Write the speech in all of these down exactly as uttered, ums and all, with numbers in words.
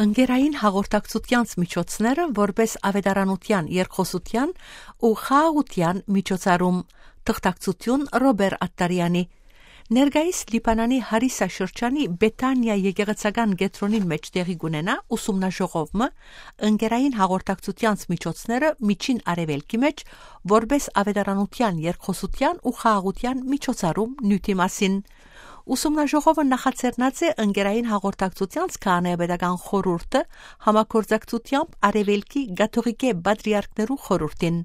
Ընկերային հաղորդակցութեանց միջոցները որպէս աւետարանութեան, երկխօսութեան ու խաղաղութեան միջոցառում։ Թղթակցութիւն Ռոբեր Ատտարեանի։ Ներկայիս Լիբանանի Հարիսա շրջանի Բեթանիա եկեղեցական կեդրոնին մէջ տեղի կ'ունենայ ուսումնաժողով մը, ընկերային հաղորդակցութեանց միջոցները Միջին Արեւելքի մէջ, որպէս աւետարանութեան, երկխօսութեան ու խաղաղութեան միջոցառում նիւթի մասին։ Ուսումնաժողովը նախաձեռնած է ընկերային հաղորդակցութեանց քահանայապետական խորհուրդը համագործակցութեամբ Արեւելքի կաթողիկէ պատրիարքներու խորհուրդին։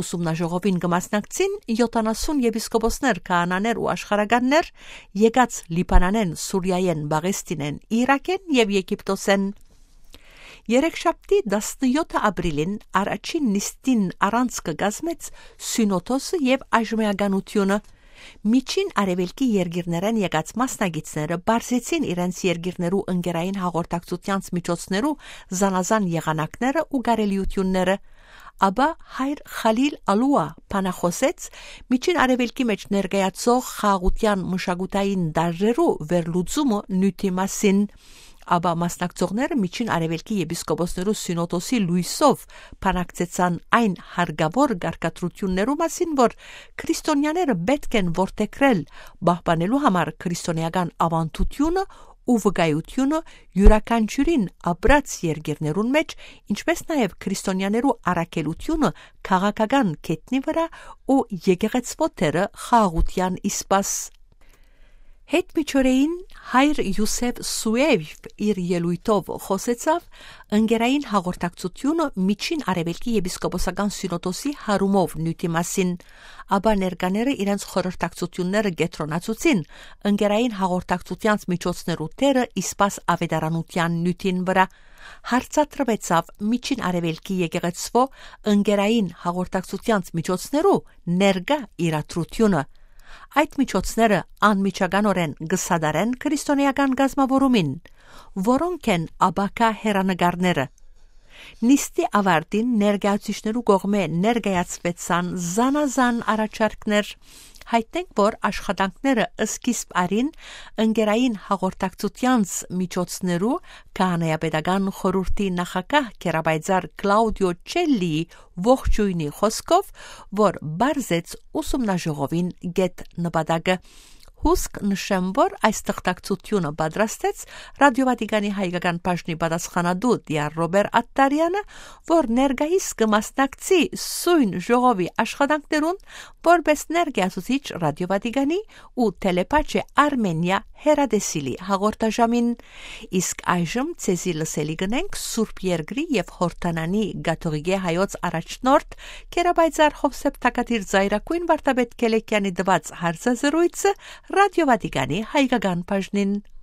Ուսումնաժողովին կը մասնակցին յոթանասուն եպիսկոպոսներ, քահանաներ ու աշխարհականներ, եկած Լիբանանէն, Սուրիայէն, Պաղեստինէն, Իրաքէն եւ Եգիպտոսէն։ Երեքշաբթի, տասնեօթ ապրիլին, առաջին նիստին առանցքը կազմեց Սիւնոդոսը եւ Աժմեականութիւնը։ Միջին Արեւելքի երկիրներէն եկած մասնակիցները պարզեցին իրենց երկիրներու ընկերային հաղորդակցութեանց միջոցներու զանազան եղանակները ու կարելիութիւնները։ Ապա հայր Խալիլ Ալուա բանախօսեց Միջին Արեւելքի մէջ ներկայացող խաղաղութեան մշակութային տարրերու վերլուծումը նիւթի մասին։ Ապա մասնակցողները Միջին Արեւելքի եպիսկոպոսներու սիւնոդոսի լոյսով բանակցեցան այն հարկաւոր կարգադրութիւններու մասին, որ քրիստոնեաները պէտք են որդեգրել՝ պահպանելու համար քրիստոնէական աւանդութիւնը ու վկայութիւնը, իւրաքանչիւրին ապրած երկիրներուն մէջ, ինչպէս նաեւ քրիստոնեաներու առաքելութիւնը քաղաքական գետնի վրայ ու եկեղեցւոյ դերը խաղաղութեան ի սպաս։ Յետ միջօրեին հայր Յուսեֆ Սուէյվ իր ելոյթով խօսեցաւ ընկերային հաղորդակցութիւնը Միջին Արեւելքի եպիսկոպոսական սիւնոդոսի հարումով նիւթի մասին, ապա ներկաները իրենց խորհրդակցութիւնները կեդրոնացուցին ընկերային հաղորդակցութեանց միջոցներու դերը ի սպաս աւետարանութեան նիւթին վրայ։ Հարցադրուեցաւ Միջին Արեւելքի եկեղեցւոյ ընկերային հաղորդակցութեանց միջոցներու ներկայ իրադրութիւնը։ Այդ միջոցները անմիջականօրէն կը սատարեն քրիստոնէական կազմաւորումին, որոնք են ապագայ հեռանկարները։ Նիստի աւարտին ներկայացուցիչներու կողմէ ներկայացուեցան զանազան առաջարկներ։ Յայտնենք, որ աշխատանքները սկիզբ առին ընկերային հաղորդակցութեանց միջոցներու քահանայապետական խորհուրդի նախագահ գերապայծառ Կլաուդիո Չելլիի ողջոյնի խօսքով, որ պարզեց ուսումնաժողովին կետ նպատակը։ Հուսկ նշեմ, որ այս թղթակցութիւնը պատրաստեց Ռադիո Վատիկանի հայկական բաժնի պատասխանատու Տիար Ռոբեր Ատտարեանը, որ ներկայիս կը մասնակցի սոյն ժողովի աշխատանքներուն որպէս ներկայացուցիչ Ռադիո Վատիկանի ու Թելեպաչէ Արմենիա հեռատեսիլի հաղորդաժամին։ Իսկ այժմ ձեզի լսելի կ'ընենք Սուրբ Երկրի եւ Յորդանանի կաթողիկէ հայոց առաջնորդ գերապայծառ Յովսէփ Թագադիր Զայրագոյն վարդապետ Քելեքեանի տուած հարցազրոյցը Ռադիո Վատիկանի հայկական բաժնին։